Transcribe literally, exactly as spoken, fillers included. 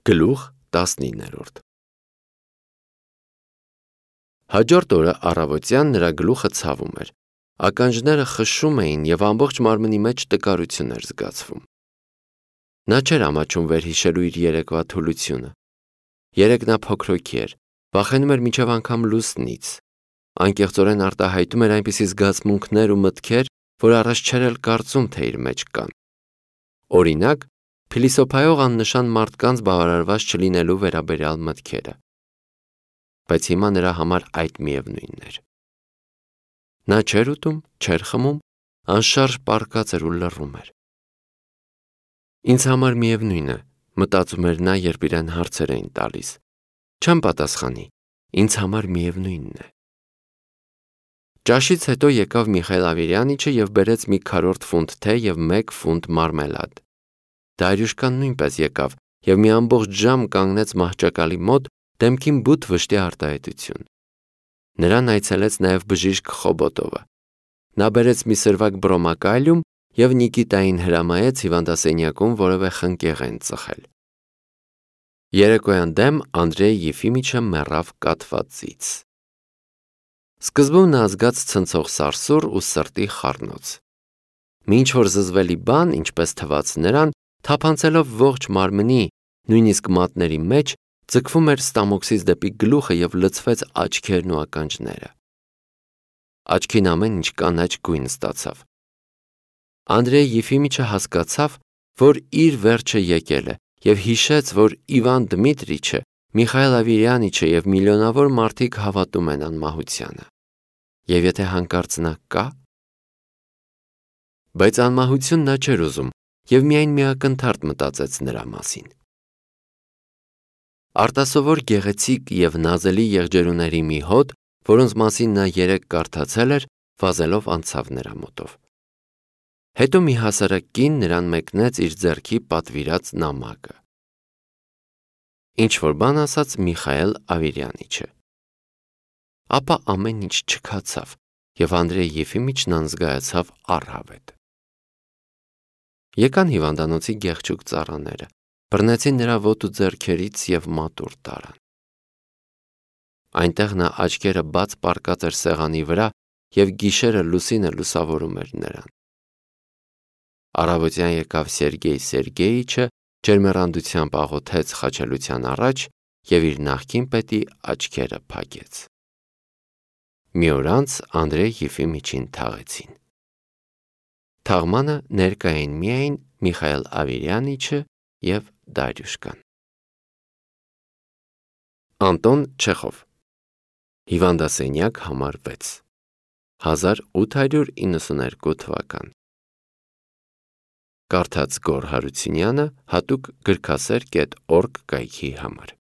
Գլուխ տասնիններորդ Հաջորդ օրը առավոտյան նրա գլուխը ցավում էր, ականջները խշշում էին և ամբողջ մարմնի մեջ տկարություն էր զգացվում։ Նա չէր ամաչում վերհիշելու իր երեկվա թուլությունը։ Երեկ նա փոքրոքի էր, վախենում էր մինչև անգամ լուսնից, անկեղծորեն արտահայտում էր այնպիսի զգացմունքներ ու մտքեր, որ առաջ չէր էլ կարծում, թե իր մեջ կան։ Օրինակ, փիլիսոփայող աննշան մարդկանց բավարարված չլինելու վերաբերյալ մտքերը։ Բայց հիմա նրա համար այդ միևնույնն էր։ Նա չէր ուտում, չէր խմում, անշարժ պառկած էր ու լռում էր։ Ինձ համար միևնույն է, մտածում էր նա, երբ իրեն հարցեր էին տալիս։ Չեմ պատասխանի, ինձ համար միևնույնն է։ Ճաշից հետո եկավ Միխայել Ավիրյանիչը և բերեց մի քառորդ ֆունտ թեյ և մեկ ֆունտ մարմելադ։ Դարյուշկան նույնպես եկավ և մի ամբողջ ժամ կանգնեց մահճակալի մոտ, դեմքին բութ վշտի արտահայտություն։ Նրան այցելեց նաև բժիշկ Խոբոտովը։ Նա բերեց մի սրվակ բրոմակալիում և Նիկիտային հրամայեց հիվանդասենյակում որևէ խնկեղեն ծխել։ Երեկոյան դեմ Անդրեյ Եֆիմիչը մեռավ կաթվածից։ Սկզբում նա զգաց ցնցող սարսուռ ու սրտի խառնոց։ Մի ինչ-որ զզվելի բան, ինչպես թվաց նրան, թափանցելով ողջ մարմնի, նույնիսկ մատների մեջ, ձգվում էր ստամոքսից դեպի գլուխը և լցվեց աչքերն ու ականջները։ Աչքին ամեն ինչ կանաչ գույն ստացավ։ Անդրեյ Եֆիմիչը հասկացավ, որ իր վերջը եկել է և հիշեց, որ Իվան Դմիտրիչը, Միխայել Ավիրյանիչը և միլիոնավոր մարդիկ հավատում են անմահությանը։ Եվ եթե հանկարծ նա կա… Բայց անմահություն նա չէր ուզում և միայն մի ակնթարթ մտածեց նրա մասին։ Արտասովոր գեղեցիկ և նազելի եղջերուների մի հոտ, որոնց մասին նա երեկ կարդացել էր, վազելով անցավ նրա մոտով։ Հետո մի հասարակ կին նրան մեկնեց իր ձեռքի պատվիրած նամակը։ Ինչ-որ բան ասաց Միխայել Ավիրյանիչը։ Ապա ամեն ինչ չքացավ, և Անդրեյ Եֆիմիչն անզգայացավ առհավետ։ Եկան հիվանդանոցի գեղեցիկ ծառաները, բռնեցին նրա ոտը ու ձեռքերից և մատուռ տարան։ Այնտեղ նա աչքերը բաց պառկած էր սեղանի վրա և գիշերը լուսինը լուսավորում էր նրան։ Առավոտյան եկավ Սերգեյ Սերգեյիչը, ջերմեռանդությամբ աղոթեց խաչելության առաջ և իր նախկին պետի աչքերը փակեց։ Մի օր անց Անդրեյ Եֆիմիչին թաղեցին։ Թաղմանը ներկա էին միայն Միխայել Ավիրյանիչը և Դարյուշկան։ Անտոն Չեխով Հիվանդասենյակ համար վեց հազար ութ հարյուր իննսուներկու թվական Կարդաց Գոռ Հարությունյանը հատուկ գրքասեր կետ օրգ կայքի համար